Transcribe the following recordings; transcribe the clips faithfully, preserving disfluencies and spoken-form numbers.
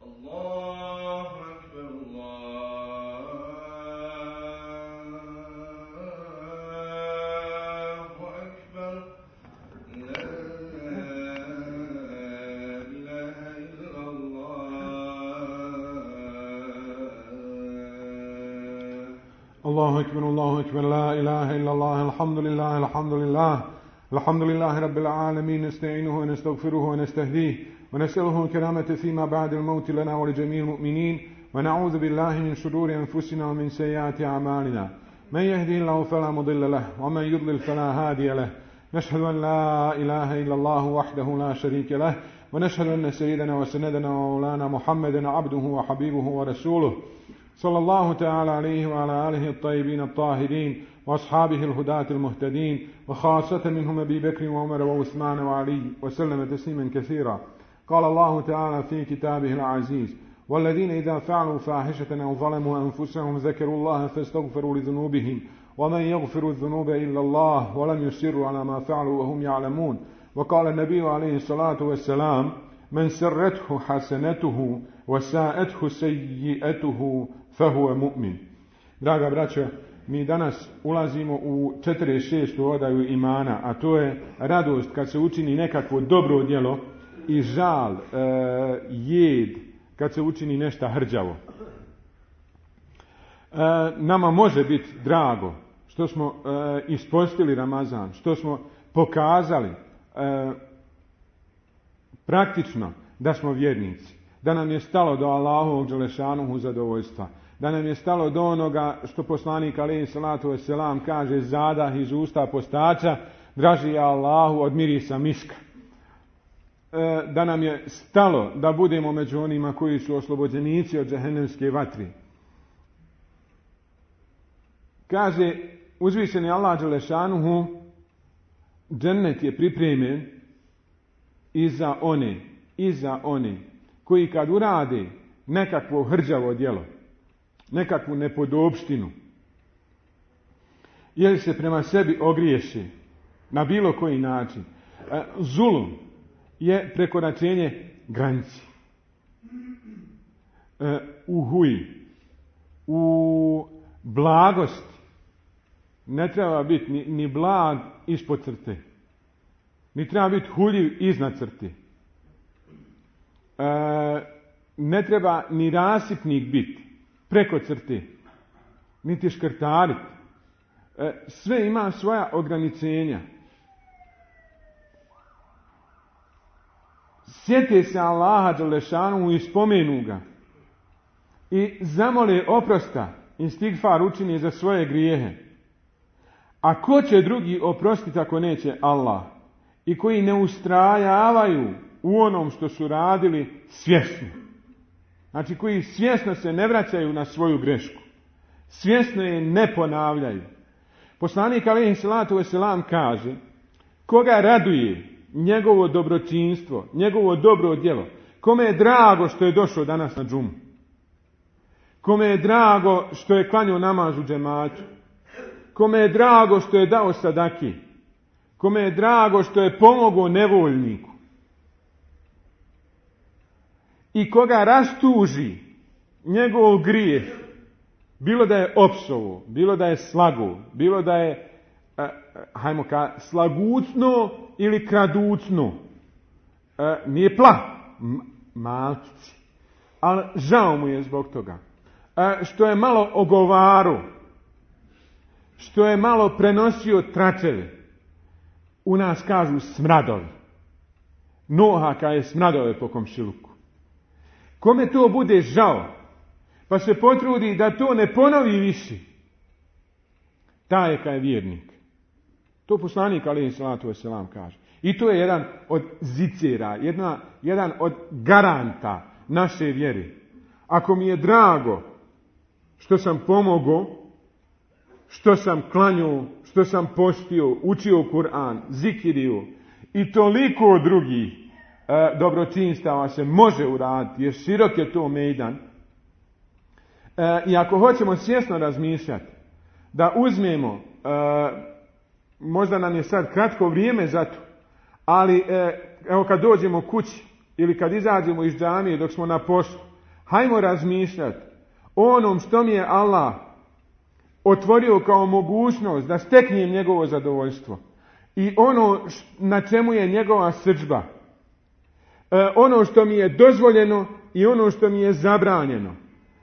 الله أكبر الله أكبر لا إله إلا الله الحمد لله الحمد لله الحمد لله رب العالمين نستعينه ونستغفره ونستهديه ونسأله الكرامة فيما بعد الموت لنا ولجميع المؤمنين ونعوذ بالله من شرور أنفسنا ومن سيئات أعمالنا من يهدي الله فلا مضل له ومن يضلل فلا هادي له نشهد أن لا إله إلا الله وحده لا شريك له ونشهد أن سيدنا وسندنا ومولانا محمدا عبده وحبيبه ورسوله صلى الله تعالى عليه وعلى آله الطيبين الطاهرين وأصحابه الهداة المهتدين وخاصة منهم أبي بكر وعمر وعثمان وعلي وسلم تسليما كثيرا. قال الله تعالى في كتابه العزيز والذين إذا فعلوا فاحشة أو ظلموا أنفسهم ذكروا الله فاستغفروا لذنوبهم ومن يغفر الذنوب إلا الله ولم يصروا على ما فعلوا وهم يعلمون. وقال النبي عليه الصلاة والسلام من سرته حسنته وساءته سيئته فهو mu'min. Draga braćo, mi danas ulazimo u četrdeset šestu odaju imana, a to je radost kad se učini nekakvo dobro djelo i žal, e, jed kad se učini nešto hrđavo. E, nama može biti drago što smo e, ispostili Ramazan, što smo pokazali e, praktično da smo vjernici, da nam je stalo do Allahovog dželešanuhu zadovoljstva, da nam je stalo do onoga što poslanik alejhi salatu vesselam kaže zadah iz usta postača draži je Allahu od mirisa miska. E, da nam je stalo da budemo među onima koji su oslobođenici od džehennemske vatri. Kaže uzvišeni Allah dželešanuhu, džennet je pripremljen i za one, i za one koji kad urade nekakvo hrđavo djelo, nekakvu nepodopštinu, ili se prema sebi ogriješi na bilo koji način. Zulum je prekoračenje granici. U huji, u blagosti ne treba biti ni, ni blag ispod crte, ni treba biti huljiv iznad crte. Ne treba ni rasipnik biti preko crte, niti škrtariti. Sve ima svoja ograničenja. Sjete se Allaha dželešanu i spomenu ga i zamole oprosta, istigfar učini za svoje grijehe. A ko će drugi oprostiti ako neće Allah? I koji ne ustrajavaju u onom što su radili svjesno. Znači koji svjesno se ne vraćaju na svoju grešku. Svjesno je ne ponavljaju. Poslanik alejhi salatu vesselam kaže koga raduje njegovo dobročinstvo, njegovo dobro djelo, kome je drago što je došao danas na džumu, kome je drago što je klanjao namaz u džematu, kome je drago što je dao sadaki, kome je drago što je pomogao nevoljniku, i koga rastuži njegov grijeh, bilo da je opsovo, bilo da je slago, bilo da je eh, hajmo ka slagucno ili kraducno, eh, nije pla, M- malčići, ali žao mu je zbog toga, eh, što je malo ogovaro, što je malo prenosio tračeve. U nas kažu smradovi, nohaka je smradove po komšiluku. Kome to bude žao, pa se potrudi da to ne ponovi više, taj je kaj je vjernik. To poslanik alejhi salatu vesselam kaže. I to je jedan od zicera, jedna, jedan od garanta naše vjere. Ako mi je drago što sam pomogao, što sam klanjao, što sam postio, učio Kur'an, zikirio i toliko drugih e, dobročinstava se može uraditi, jer širok je to mejdan. E, I ako hoćemo svjesno razmišljati, da uzmemo, e, možda nam je sad kratko vrijeme za to, ali e, evo kad dođemo kući ili kad izađemo iz džamije dok smo na poslu, Hajmo razmišljati o onom što mi je Allah otvorio kao mogućnost da steknem njegovo zadovoljstvo i ono na čemu je njegova srdžba. E, ono što mi je dozvoljeno i ono što mi je zabranjeno.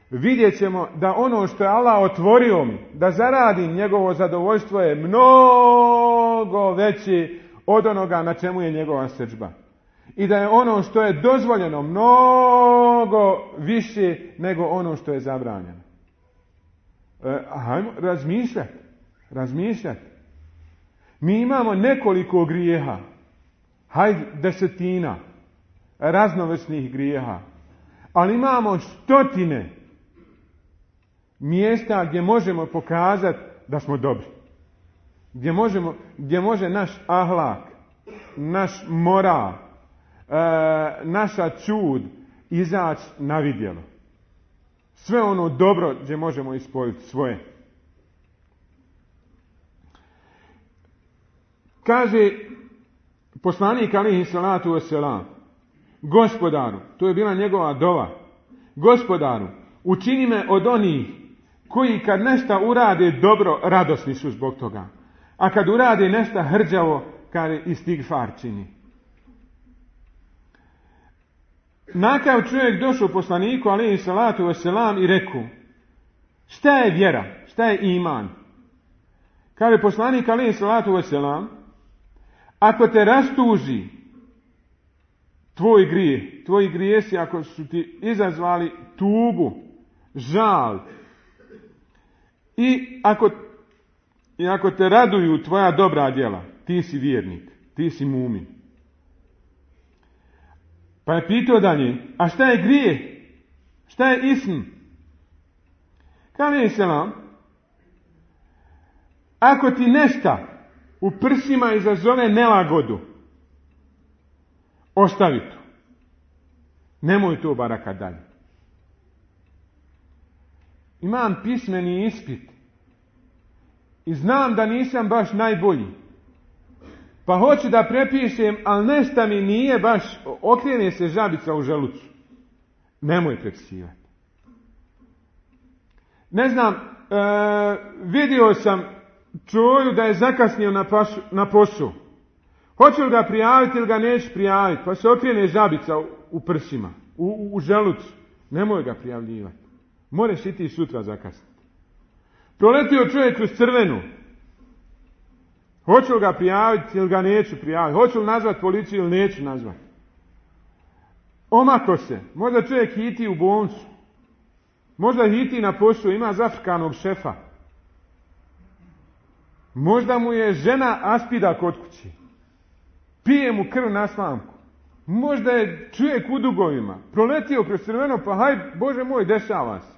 Vidjet ćemo da ono što je Allah otvorio mi, da zaradim njegovo zadovoljstvo je mnogo veće od onoga na čemu je njegova srdžba. I da je ono što je dozvoljeno mnogo više nego ono što je zabranjeno. E, hajmo razmišljati. Razmišljati. Mi imamo nekoliko grijeha. Hajde desetina raznovrsnih grijeha. Ali imamo stotine mjesta gdje možemo pokazati da smo dobri. Gdje, možemo, gdje može naš ahlak, naš moral, e, naša čud izaći na vidjelo. Sve ono dobro gdje možemo ispoljiti svoje. Kaže poslanik alejhi salatu vesselam, Gospodaru, to je bila njegova dova, Gospodaru, učini me od onih koji kad nešto urade dobro, radosni su zbog toga. A kad urade nešto hrđavo, kad istigfar čini. Nakav čovjek došao poslaniku alejhi salatu vesselam i rekao, šta je vjera, šta je iman? Kaže poslanik alejhi salatu vesselam, ako te rastuži tvoj grijeh, tvoji grijesi ako su ti izazvali tugu, žal, i ako, i ako te raduju tvoja dobra djela, ti si vjernik, ti si mumin. Pa je pitao dalje, a šta je grijeh? Šta je ism? Kaže selam, ako ti nešta u prsima izazove nelagodu, ostavi to. Nemoj to baraka dalje. Imam pismeni ispit i znam da nisam baš najbolji. Pa hoću da prepišem, ali nešto mi nije baš, okrene se žabica u želucu. Nemoj prepisivati. Ne znam, e, vidio sam čovjeku da je zakasnio na, pašu, na posao. Hoće li ga prijaviti ili ga neće prijaviti? Pa se okrene žabica u, u prsima, u, u, u želucu. Nemoj ga prijavljivati. Moraš i ti sutra zakasniti. Proletio čovjek kroz crvenu. Hoću li ga prijaviti ili ga neću prijaviti? Hoću li nazvati policiju ili neću nazvati? Omako se. Možda čovjek hiti u bolnicu. Možda hiti na poslu, ima zafrkanog šefa. Možda mu je žena aspida kod kući. Pije mu krv na slamku. Možda je čovjek u dugovima. Proletio kroz crveno, pa haj, Bože moj, dešava se.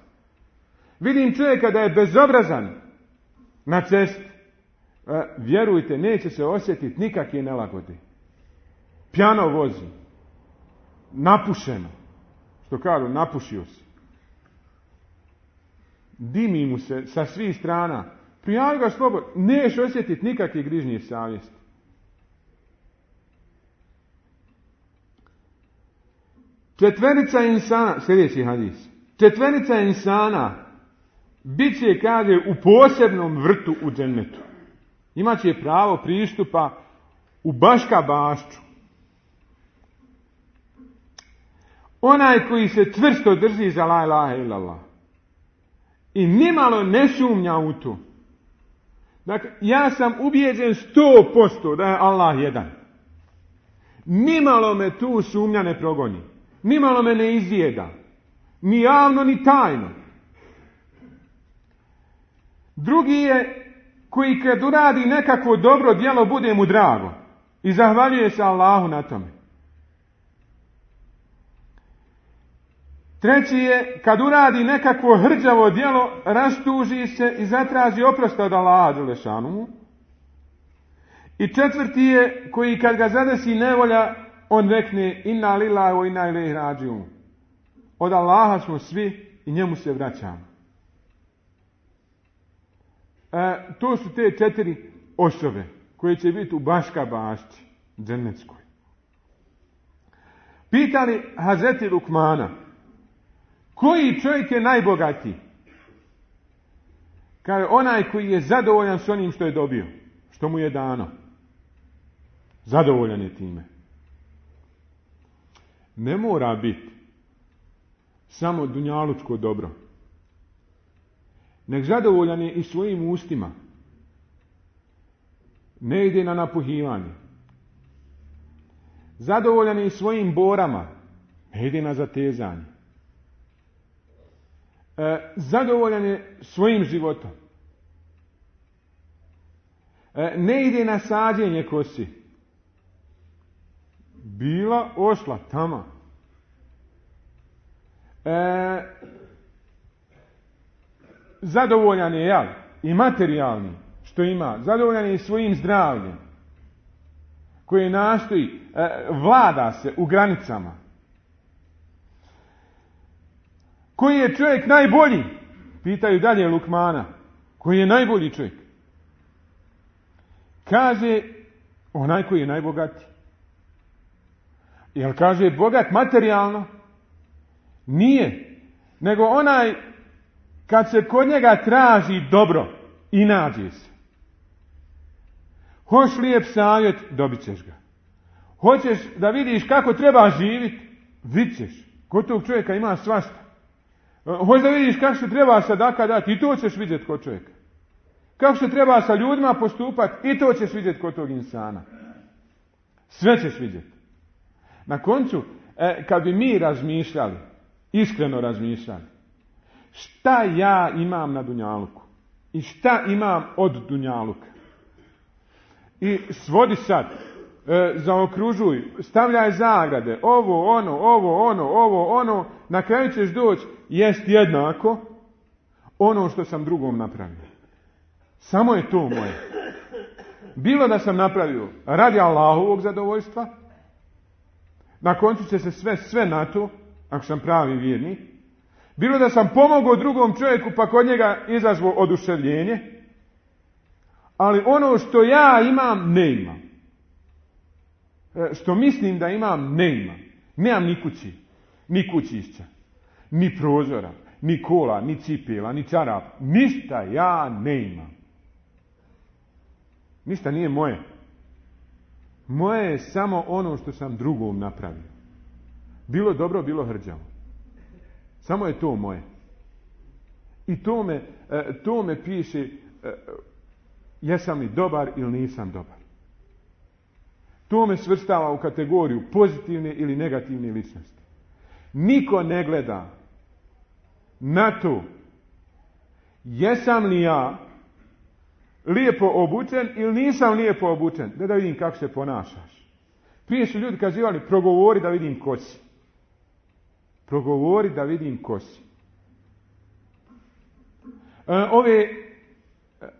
Vidim čovjeka da je bezobrazan na cesti. E, vjerujte, neće se osjetiti nikakve nelagode. Pjano vozi. Napušeno. Što kažu, napušio se. Dimi mu se sa svih strana. Prijavi ga slobodno. Neš osjetiti nikakve grižnje savjesti. Četverica insana, sljedeći hadis. Četverica insana bit će, kaže, u posebnom vrtu u džennetu. Imaće pravo pristupa u Baška bašču. Onaj koji se čvrsto drži za la ilaha illallah i nimalo ne sumnja u to. Dakle, ja sam ubijeđen sto posto da je Allah jedan. Nimalo me tu sumnja ne progoni. Nimalo me ne izjeda. Ni javno, ni tajno. Drugi je koji kad uradi nekakvo dobro djelo bude mu drago. I zahvaljuje se Allahu na tome. Treći je kad uradi nekakvo hrđavo djelo, rastuži se i zatraži oprost od Allaha dželešanu. I četvrti je koji kad ga zadesi nevolja, on rekne inna lillahi wa inna ilaihi rađiun. Od Allaha smo svi i njemu se vraćamo. E, to su te četiri osobe koje će biti u Baška bašči džennetskoj. Pitali Hazreti Lukmana, Koji čovjek je najbogatiji? Kaže, onaj koji je zadovoljan s onim što je dobio, što mu je dano. Zadovoljan je time. Ne mora biti samo dunjalučko dobro. Nek zadovoljan je i svojim ustima. Ne ide na napuhivanje. Zadovoljan je i svojim borama. Ne ide na zatezanje. E, zadovoljan je svojim životom. E, ne ide na sađenje kosi. Bila, ošla, tama. E, zadovoljan je, jel, i materijalni, što ima. Zadovoljan je i svojim zdravljem, koje nastoji, e, vlada se u granicama. Koji je čovjek najbolji? Pitaju dalje Lukmana. Koji je najbolji čovjek? Kaže, onaj koji je najbogatiji. Jel kaže bogat materijalno? Nije. Nego onaj kad se kod njega traži dobro i nađe se. Hoćeš lijep savjet, dobit ćeš ga. Hoćeš da vidiš kako treba živjeti, vidit ćeš. Kod tog čovjeka ima svašta. Hoćeš da vidiš kako se treba sadaka dati, i to ćeš vidjeti kod čovjeka. Kako se treba sa ljudima postupati, i to ćeš vidjeti kod tog insana. Sve ćeš vidjeti. Na koncu, e, kad bi mi razmišljali, iskreno razmišljali, šta ja imam na dunjaluku i šta imam od dunjaluka, i svodi sad, e, zaokružuj, stavljaj zagrade, ovo, ono, ovo, ono, ovo, ono, na kraju ćeš doći, jest jednako ono što sam drugom napravio. Samo je to moje. Bilo da sam napravio radi Allahovog zadovoljstva, na koncu će se sve, sve na to, ako sam pravi vjernik. Bilo da sam pomogao drugom čovjeku pa kod njega izazvao oduševljenje, ali ono što ja imam, ne imam. E, što mislim da imam, ne imam. Nemam ni kući, ni kućišća, ni prozora, ni kola, ni cipela, ni čarap. Ništa ja ne imam. Ništa nije moje. Moje je samo ono što sam drugom napravio. Bilo dobro, bilo hrđavo. Samo je to moje. I to me, to me piše jesam li dobar ili nisam dobar. To me svrstava u kategoriju pozitivne ili negativne ličnosti. Niko ne gleda na to jesam li ja lijepo obučen ili nisam lijepo obučen. Da da vidim kako se ponašaš. Prije su ljudi kazivali progovori da vidim ko si. Progovori da vidim ko si. E, ove,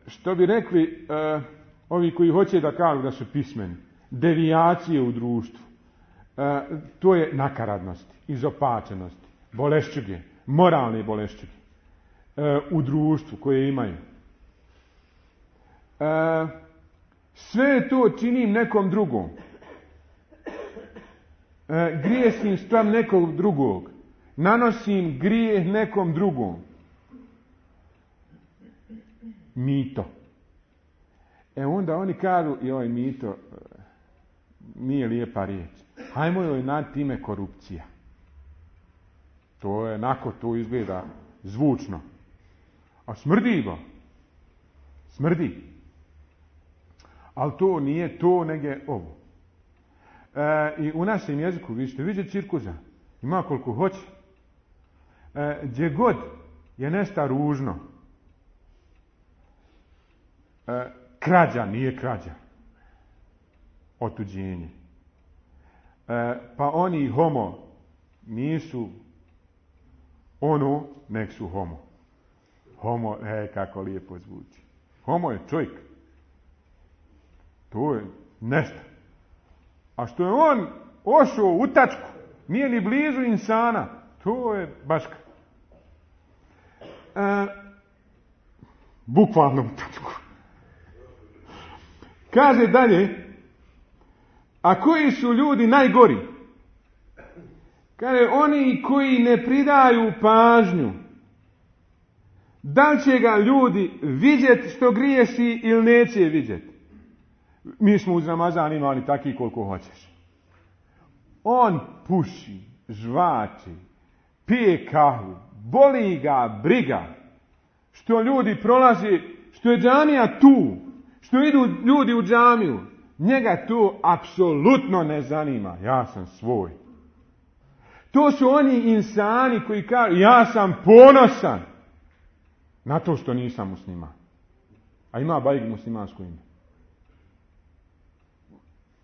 što bi rekli, e, ovi koji hoće da kažu da su pismeni, devijacije u društvu, e, to je nakaradnost, izopačenost, bolešćuge, moralne bolešćuge e, u društvu koje imaju. E, sve to činim nekom drugom. E, grijesim spram nekog drugog. Nanosim grijeh nekom drugom. Mito. E onda oni kažu, joj mito, nije lijepa riječ. Hajmo joj nad time korupcija. To je, nako to izgleda zvučno. A smrdi ga. Smrdi. Ali to nije to, nego je ovo. E, I u našem jeziku, vi ćete vidjeti cirkuza. Ima koliko hoće. E, gdje god je nešto ružno. E, krađa nije krađa. Otuđenje. E, pa oni homo nisu ono, nek su homo. Homo, e, kako lijepo zvuči. Homo je čovjek. To je nešto. A što je on ošao u tačku, nije ni blizu insana, to je baška. E, bukvalno u tačku. Kaže dalje, a koji su ljudi najgori? Kaže, oni koji ne pridaju pažnju, da li će ga ljudi vidjeti što griješi ili neće vidjeti. Mi smo uz Ramazan imali takvi koliko hoćeš. On puši, žvači, pije kahvu, boli ga briga, što ljudi prolaze, što je džamija tu, što idu ljudi u džamiju. Njega to apsolutno ne zanima. Ja sam svoj. To su oni insani koji kažu, ja sam ponosan na to što nisam musliman. A ima bajg muslimansko ime.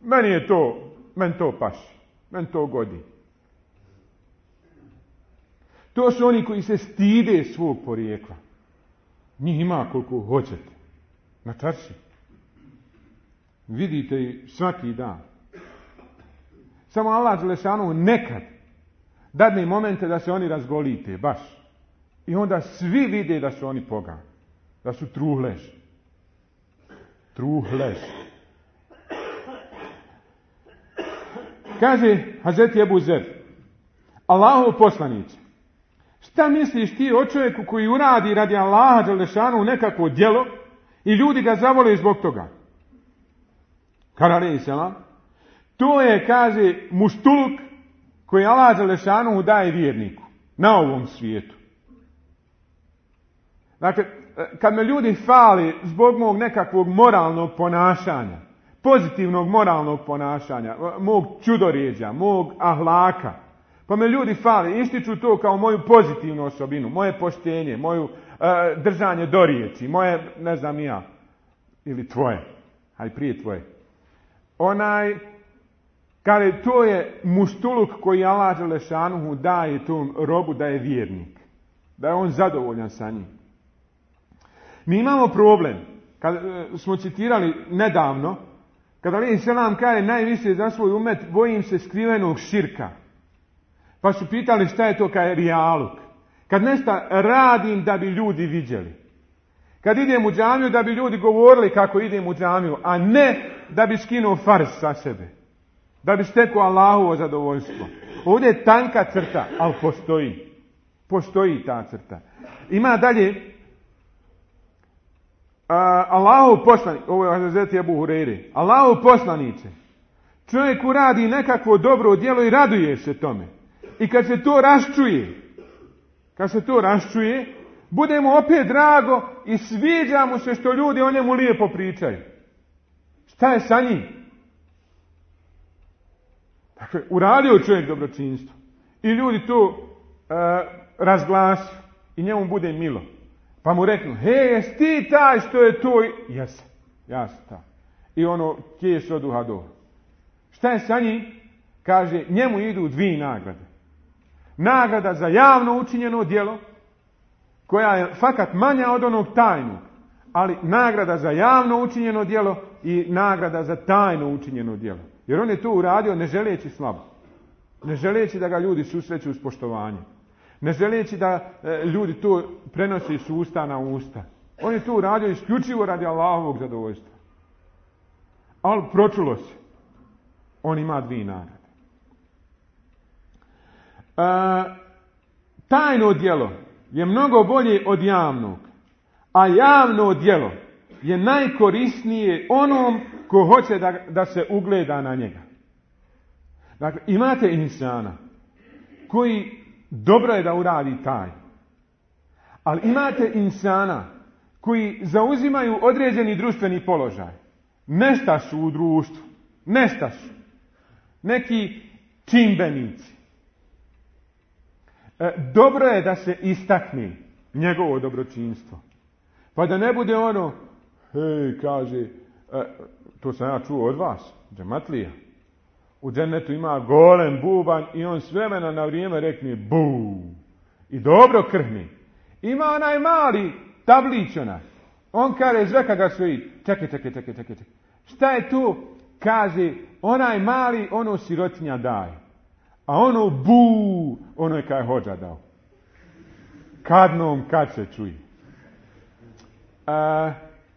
Meni je to, meni to paši, meni to godi. To su oni koji se stide svog porijekla. Njih ima koliko hoćete. Na čarši. Vidite ih svaki dan. Samo Allah Đelešanu nekad dadne momente da se oni razgolite, baš. I onda svi vide da su oni pogani. Da su truhlež. Truhlež. Kaže Hazreti Ebu Zer, Allahov poslanice, šta misliš ti o čovjeku koji uradi radi Allaha Đelešanu nekakvo djelo i ljudi ga zavole zbog toga? Karalej selam. To je, kaže, muštuluk koji Allah Đelešanu daje vjerniku na ovom svijetu. Dakle, kad me ljudi fali zbog mog nekakvog moralnog ponašanja, pozitivnog moralnog ponašanja, mog čudoređa, mog ahlaka, pa me ljudi fali, ističu to kao moju pozitivnu osobinu, moje poštenje, moju uh, držanje do riječi, moje, ne znam ja, ili tvoje, aj prije tvoje. Onaj, kaže, to je muštuluk koji Allah Đelešanuhu daje tom robu da je vjernik, da je on zadovoljan sa njim. Mi imamo problem, kad uh, smo citirali nedavno, kada Ali selam kaže najviše za svoj umet, bojim se skrivenog širka. Pa su pitali šta je to kaj rijaluk. Kad nešto radim da bi ljudi vidjeli. Kad idem u džamiju da bi ljudi govorili kako idem u džamiju, a ne da bi skinuo fars sa sebe. Da bi stekao Allahovo zadovoljstvo. Ovdje je tanka crta, ali postoji. Postoji ta crta. Ima dalje Uh, Allahov poslanik, ovo je Hazreti Ebu Hureyre, Allahov poslanice, čovjek uradi nekakvo dobro djelo i raduje se tome. I kad se to raščuje, kad se to raščuje, bude mu opet drago i sviđa mu se što ljudi o njemu lijepo pričaju. Šta je sa njim? Dakle, uradio čovjek dobročinstvo i ljudi to uh, razglasuju i njemu bude milo. Pa mu reknu, hej, jesi ti taj što je to? Jesam, ja sam taj. I ono, kješ od uha do. Šta je sa njim? Kaže, njemu idu dvije nagrade. Nagrada za javno učinjeno djelo, koja je fakat manja od onog tajnog, ali nagrada za javno učinjeno djelo i nagrada za tajno učinjeno djelo. Jer on je to uradio ne želeći slabo. Ne želeći da ga ljudi susreću s poštovanjem. Ne želeći da e, ljudi to prenose s usta na usta. On je to uradio isključivo radi Allahovog zadovoljstva. Ali pročulo se. On ima dvije nagrade. E, tajno djelo je mnogo bolje od javnog. A javno djelo je najkorisnije onom ko hoće da, da se ugleda na njega. Dakle, imate insana koji dobro je da uradi taj. Ali imate insana koji zauzimaju određeni društveni položaj. Nešta su u društvu. Nešta su. Neki čimbenici. E, dobro je da se istakne njegovo dobročinstvo. Pa da ne bude ono, hej, kaže, e, to sam ja čuo od vas, džematlija. U džennetu ima golem bubanj i on s vremena na vrijeme rekne bu. I dobro krhni. Ima onaj mali tablić onaj. On kaže, zveka ga svoji. Čekaj, čekaj, čekaj, čekaj. Šta je tu? Kaže, onaj mali, ono sirotinja daje. A ono bu, ono je kaj hođa dao. Kadnom kad se čuje. A,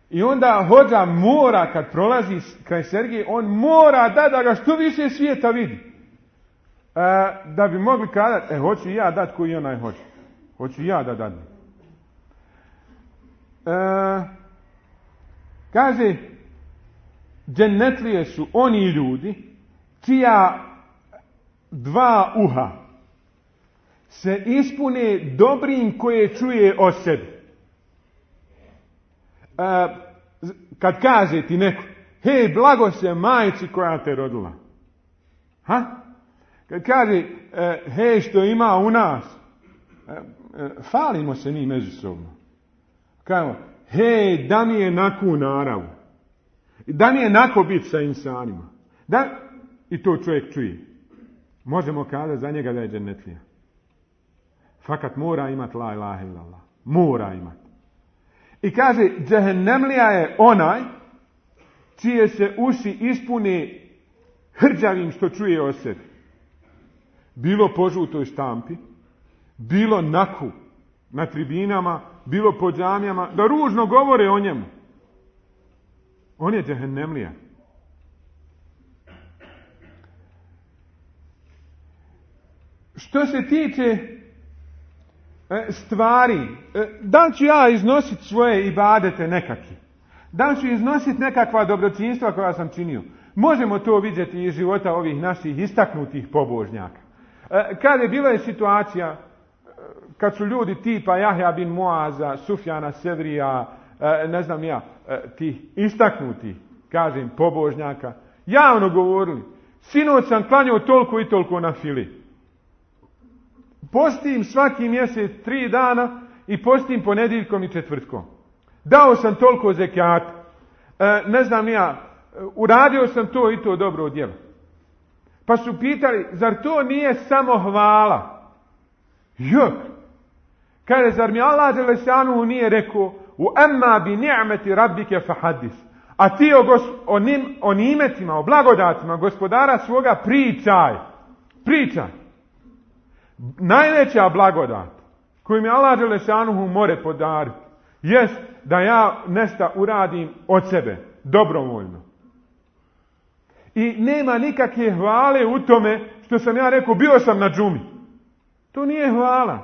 I onda hođa mora, kad prolazi kraj Sergije, on mora da, da ga što više svijeta vidi. da bi mogli kazati, e, hoću i ja dati koji onaj hoće. Hoću i ja da dadem. E, kaže, džennetlije su oni ljudi čija dva uha se ispune dobrim koje čuje o sebi. E, kad kaže ti neko, hej, blago se majci koja te rodila. Ha? Kad kaže, e, hej, što ima u nas, e, e, falimo se mi međusobno. Kažemo, hej, da mi je naku naravu. Da mi je nako biti sa insanima. Da, i to čovjek čuje. Možemo kazati za njega da je džennetlija. Fakat mora imati la ilaha illallah. Mora imati. I kaže, džehennemlija je onaj čije se uši ispune hrđavim što čuje o sebi. Bilo po žutoj štampi, bilo naku na tribinama, bilo po džamijama, da ružno govore o njemu. On je džehennemlija. Što se tiče stvari, da li ću ja iznositi svoje ibadete nekakve? Da li ću iznositi nekakva dobročinstva koja sam činio? Možemo to vidjeti iz života ovih naših istaknutih pobožnjaka. Kada je bila je situacija, kad su ljudi tipa Jahja bin Muaza, Sufjana Sevrija, ne znam ja, tih istaknutih, kažem, pobožnjaka, javno govorili, sinoć sam klanjao toliko i toliko na fili. Postim svaki mjesec tri dana i postim ponedjeljkom i četvrtkom. Dao sam toliko zekijata. E, ne znam ja, uradio sam to i to dobro djelo. Pa su pitali, zar to nije samo hvala? Jok. Kaže, zar mi Allah dželešanu nije rekao, u emma bi ni'meti rabbike fahadis. A ti o, gos, o, nim, o nimetima, o blagodatima gospodara svoga pričaj. Pričaj. Najveća blagodat koju mi Allah dželešanu more podariti jest da ja nešto uradim od sebe, dobrovoljno. I nema nikakve hvale u tome što sam ja rekao, bio sam na džumi. To nije hvala.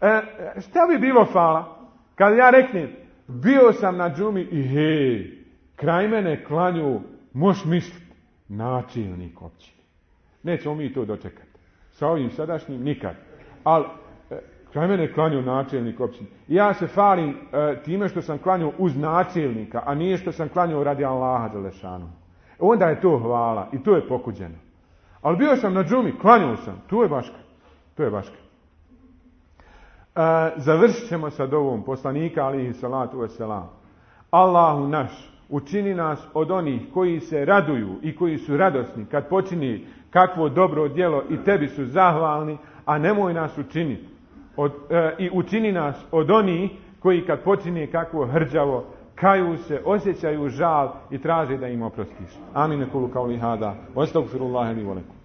E, šta bi bilo hvala? Kad ja reknem, bio sam na džumi i hej, kraj mene klanju, moš misliti, načelnik općine. Nećemo mi to dočekati. Sa ovim sadašnjim nikad. Ali, e, kraj mene klanju načelnik općine. I ja se falim e, time što sam klanjao uz načelnika, a nije što sam klanjao radi Allaha dželešanu. Onda je to hvala i to je pokuđeno. Ali bio sam na džumi, klanjao sam, to je baška. To je baška. E, završit ćemo sa dovom poslanika alihi salatu wasalam. Allahu naš, učini nas od onih koji se raduju i koji su radosni kad počini kakvo dobro djelo i tebi su zahvalni, a nemoj nas učiniti. Od, e, I učini nas od onih koji kad počini kakvo hrđavo, kaju se, osjećaju žal i traže da im oprostiš. Amin. Kulu kauli hada. Wa astagfirullaha li wa lakum.